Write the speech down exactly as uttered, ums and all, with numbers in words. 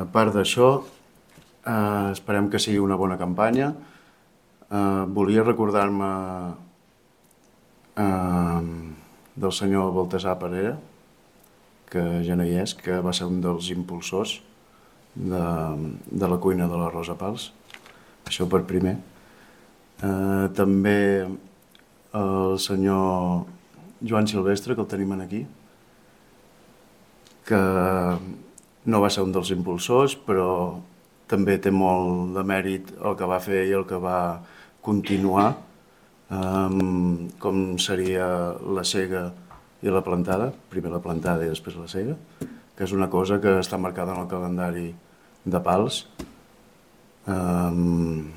A part d'això, eh, esperem que sigui una bona campanya. Eh, volia recordar-me eh, del senyor Baltasar Parera, que ja no hi és, que va ser un dels impulsors de, de la cuina de la Rosa Pals. Això per primer. Eh, també el senyor Joan Silvestre, que el tenim aquí, que no va ser un dels impulsors, però també té molt de mèrit el que va fer i el que va continuar, um, com seria la sega i la plantada, primer la plantada i després la sega, que és una cosa que està marcada en el calendari de Pals. Um,